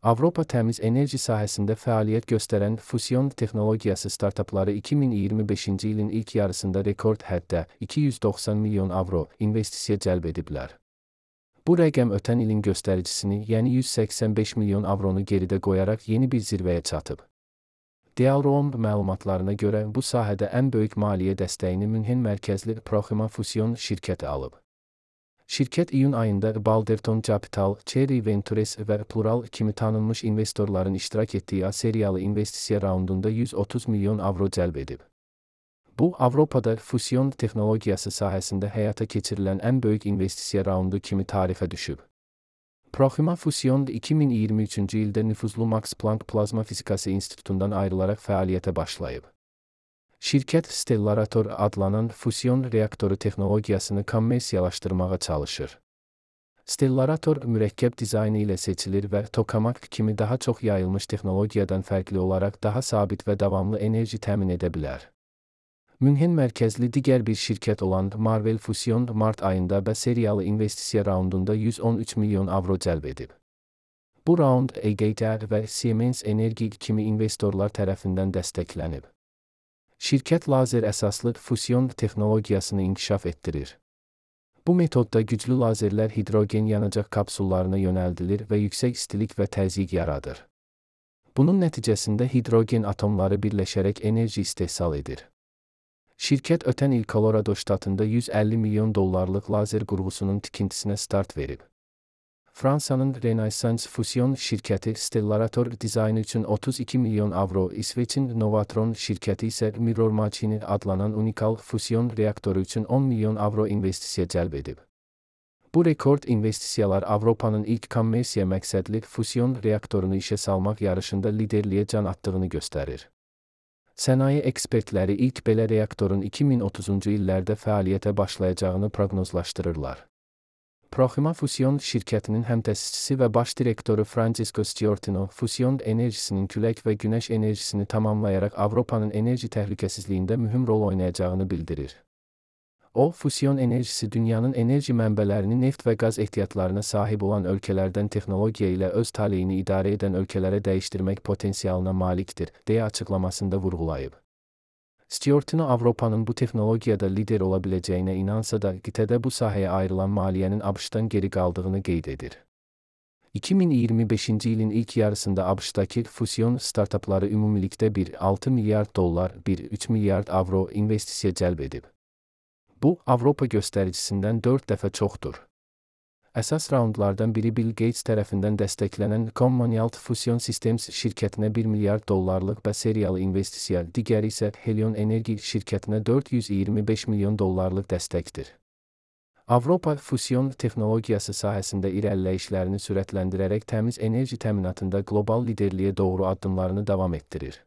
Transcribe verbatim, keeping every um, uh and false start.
Avropa təmiz enerji sahəsində fəaliyyət göstərən fusion texnologiyası startapları iki min iyirmi beşinci ilin ilk yarısında rekord həddə iki yüz doxsan milyon avro investisiya cəlb ediblər. Bu rəqəm ötən ilin göstəricisini, yəni yüz səksən beş milyon avronu geridə qoyaraq yeni bir zirvəyə çatıb. Dialroam məlumatlarına görə bu sahədə ən böyük maliyyə dəstəyini Münhen mərkəzli Proxima Fusion şirkəti alıb. Şirkət iyun ayında Balderton Capital, Cherry Ventures və Plural kimi tanınmış investorların iştirak etdiyi A seriyalı investisiya raundunda yüz otuz milyon avro cəlb edib. Bu, Avropada fusion texnologiyası sahəsində həyata keçirilən ən böyük investisiya raundu kimi tarixə düşüb. Proxima Fusion iki min iyirmi üçüncü ildə nüfuzlu Max Planck Plazma Fizikası İnstitutundan ayrılaraq fəaliyyətə başlayıb. Şirkət Stellarator adlanan fusion reaktoru texnologiyasını kommersiyalaşdırmağa çalışır. Stellarator mürəkkəb dizaynı ilə seçilir və tokamak kimi daha çox yayılmış texnologiyadan fərqli olaraq daha sabit və davamlı enerji təmin edə bilər. Münhen mərkəzli digər bir şirkət olan Marvel Fusion mart ayında B seriyalı investisiya raundunda yüz on üç milyon avro cəlb edib. Bu raund E G T və Siemens Energy kimi investorlar tərəfindən dəstəklənib. Şirkət lazer əsaslı fusion texnologiyasını inkişaf etdirir. Bu metodda güclü lazerlər hidrogen yanacaq kapsullarına yönəldilir və yüksək istilik və təzyiq yaradır. Bunun nəticəsində hidrogen atomları birləşərək enerji istehsal edir. Şirkət ötən il Colorado ştatında yüz əlli milyon dollarlıq lazer qurğusunun tikintisinə start verib. Fransanın Renaissance Fusion şirkəti Stellarator dizaynı üçün otuz iki milyon avro, İsveçin Novatron şirkəti isə Mirror Machine adlanan unikal fusion reaktoru üçün on milyon avro investisiya cəlb edib. Bu rekord investisiyalar Avropanın ilk kommersiya məqsədli fusion reaktorunu işə salmaq yarışında liderliyə can attığını göstərir. Sənaye ekspertləri ilk belə reaktorun iki min otuzuncu illərdə fəaliyyətə başlayacağını proqnozlaşdırırlar. Proxima Fusion şirkətinin həmtəsisçisi və baş direktoru Francesco Stiortino, fusion enerjisinin külək və günəş enerjisini tamamlayaraq Avropanın enerji təhlükəsizliyində mühüm rol oynayacağını bildirir. O, fusion enerjisi dünyanın enerji mənbələrini neft və qaz ehtiyatlarına sahib olan ölkələrdən texnologiya ilə öz taleyini idarə edən ölkələrə dəyişdirmək potensialına malikdir, deyə açıqlamasında vurğulayıb. Stiortino Avropanın bu texnologiyada lider ola biləcəyinə inansa da, qitədə bu sahəyə ayrılan maliyyənin ABŞ-dan geri qaldığını qeyd edir. iki min iyirmi beşinci ilin ilk yarısında ABŞ-dakı fusion startapları ümumilikdə bir nöqtə altı milyard dollar, bir nöqtə üç milyard avro investisiya cəlb edib. Bu, Avropa göstəricisindən dörd dəfə çoxdur. Əsas raundlardan biri Bill Gates tərəfindən dəstəklənən Commonwealth Fusion Systems şirkətinə bir milyard dollarlıq B seriyalı investisiya, digəri isə Helion Energy şirkətinə dörd yüz iyirmi beş milyon dollarlıq dəstəkdir. Avropa fusion texnologiyası sahəsində irəliləyişlərini sürətləndirərək təmiz enerji təminatında qlobal liderliyə doğru addımlarını davam etdirir.